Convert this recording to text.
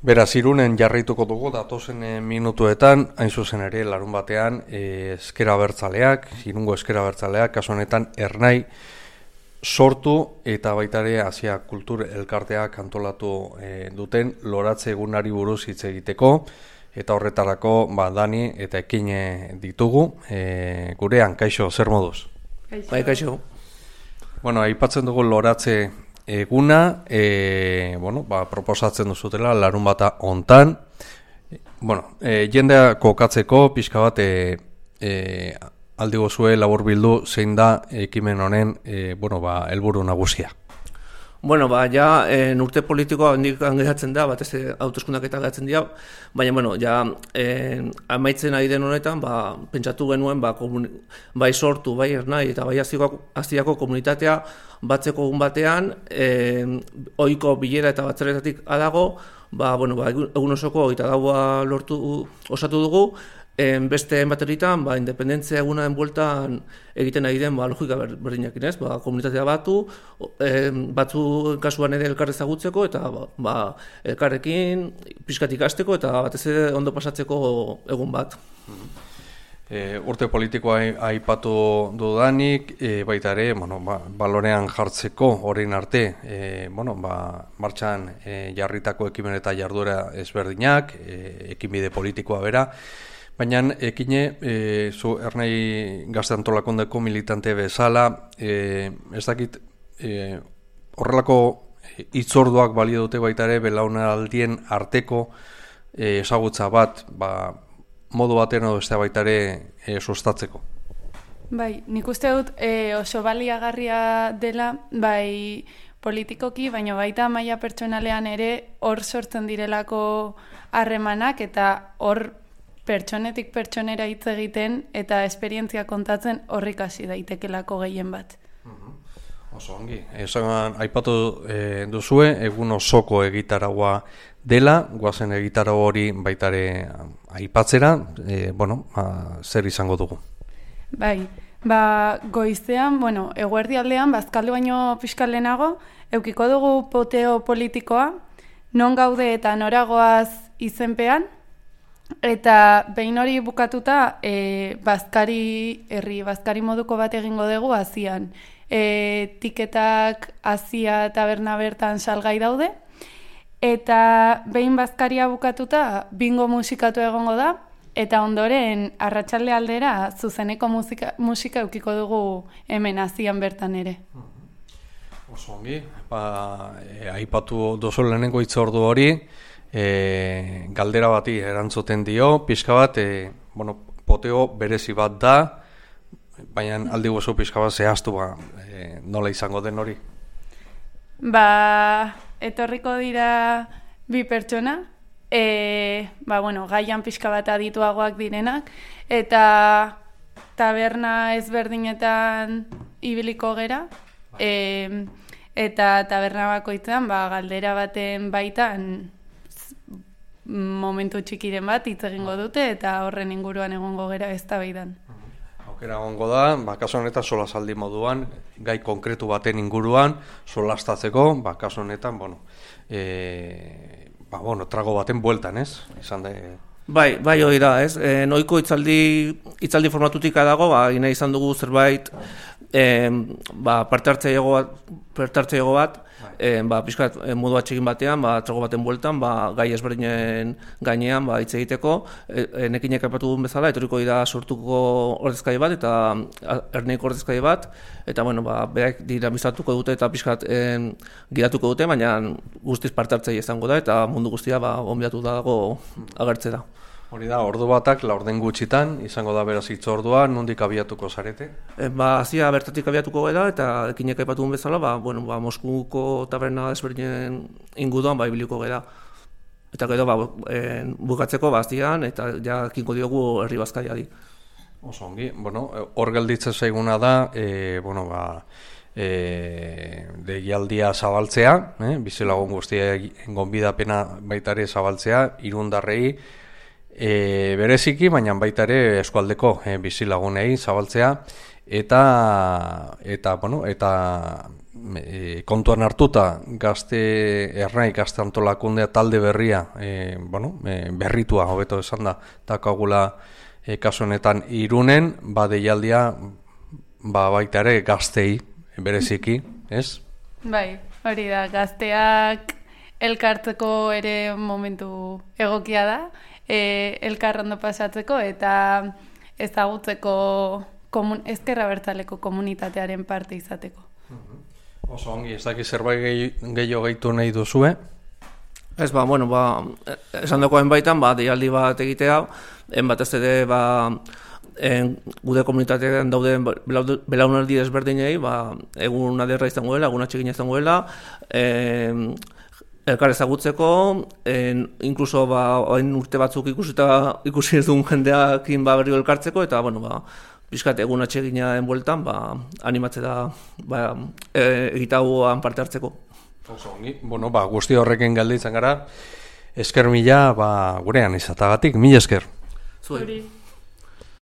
Beraz, Irunen jarraituko dugu datozen minutuetan, hain zuzen ere, larun batean, ezker abertzaleak, Irungo ezker abertzaleak, kasu honetan Ernai sortu eta baita ere Asia Kultur Elkarteak antolatu duten loratze egunari buruz hitz egiteko, eta horretarako Dani eta Ekin ditugu, gurean, kaixo, zer moduz? Bai, kaixo. Bueno, aipatzen dugu loratze eguna, proposatzen duzutela larun bata hontan. Jendea kokatzeko pixka bat aldi gozue laburbildu zein da ekimen honen helburu nagusia. Urte politikoa hendik geratzen da, batez hauteskundak eta geratzen dira, baina, amaitzen ari den honetan, pentsatu genuen, bai sortu, bai Ernai eta bai Asiako komunitatea batzeko egun batean, ohiko bilera eta batzarretatik adago, egun osoko eta gaua osatu dugu, beste bateritan, independentzia egunaren bueltan egiten ari den logika berdinakin ez, komunitatea batzu kasuan ere elkar ezagutzeko eta elkarrekin pixkat ikasteko eta batez ere ondo pasatzeko egun bat. Urte politikoa aipatu dudanik, baita ere, balorean jartzeko orain arte, martxan jarritako ekimen eta jarduera ezberdinak, ekinbide politikoa bera, baina Ekine, zu Ernai Gazte Antolakondeko militante bezala, ez dakit horrelako hitzorduak balio dute baita ere belaunaldien arteko ezagutza bat, modu batean edo beste baita ere sustatzeko. Bai, nik uste dut oso baliagarria dela, bai politikoki, baina baita maila pertsonalean ere hor sortzen direlako harremanak eta hor pertsonetik pertsonera hitz egiten eta esperientzia kontatzen horrik hasi daitekelako gehien bat. Oso ongi. Aipatu duzue, egun osoko egitaragua dela, guazen egitarau hori baitare aipatzera, zer izango dugu? Bai, goizean, eguerdi aldean, bazkaldu baino pixka lehenago, eukiko dugu poteo politikoa, non gaude eta noragoaz izenpean, eta behin hori bukatuta bazkari moduko bat egingo dugu Asian. Tiketak Asia taberna bertan salgai daude, eta behin bazkaria bukatuta bingo musikatu egongo da, eta ondoren arratsalde aldera zuzeneko musika eukiko dugu hemen Asian bertan ere. Oso ongi, aipatu dozu lehenengo hitzordu hori, galdera bati erantzuten dio, pixka bat, poteo berezi bat da, baina aldi gozu pixka bat zehaztu nola izango den hori? Etorriko dira bi pertsona, gaian pixka bat adituagoak direnak, eta taberna ezberdinetan ibiliko gera, eta taberna bakoitzean galdera baten baitan momentu txikiren bat hitz egingo dute eta horren inguruan egongo gera eztabaidan. Aukera egongo da, kasu honetan solasaldi moduan, gai konkretu baten inguruan solastatzeko, kasu honetan, trago baten bueltan, ez? Izan da... Bai, hori da, ez? Noiko hitzaldi formatutik dago, gine izan dugu zerbait parte hartzaileago bat, pixkat modu atxegin batean, trago baten bueltan, gai ezberdinen gainean hitz egiteko, nekinek aipatu duen bezala, etorriko dira sortuko ordezkari bat, eta Ernaiko ordezkari bat, eta berak dira bizatuko dute eta pixkat gidatuko dute, baina guztiz parte hartzaile izango da, eta mundu guztia onbidatu dago agertzera. Hori da, ordu batak, laurden gutxitan, izango da beraz hitzordua, nondik abiatuko zarete? Asia bertatik abiatuko gara, eta Ekinek aipatu duen bezala, Moskuko taberna ezberdinen inguruan ibiliko gara. Eta gero, bukatzeko Asian, eta jakingo diogu herri bazkariari. Oso ongi, hor gelditzen zaiguna da, deialdia zabaltzea, bizilagun guztia gonbidapena baita ere zabaltzea, irundarrei, bereziki, baina baita ere eskualdeko bizilagunei zabaltzea eta kontuan hartuta ernai gazte antolakundea talde berria, berritua hobeto esan da, dakagula kasu honetan Irunen, deialdia baita ere gaztei bereziki, ez? Bai, hori da, gazteak elkartzeko ere momentu egokia da, elkar ondo pasatzeko eta ezagutzeko ezker abertzaleko komunitatearen parte izateko. Oso ongi, ez daki zerbait gehiago gehitu nahi duzue? Ez, esan dagoen baitan, deialdi bat egitea, batez ere, gude komunitatean dauden belaunaldi desberdinei, egun aderra izango dela, egun atsegina izango dela, elkar ezagutzeko, inkluso hain urte batzuk ikusi ez duen jendeakin berriro elkartzeko, eta, pixkat egun atsegina enbueltan, animatze da egitagoan parte hartzeko. Oso ongi, guzti horrekin galditzen gara, esker mila, gurean izatagatik, mila esker. Zuei.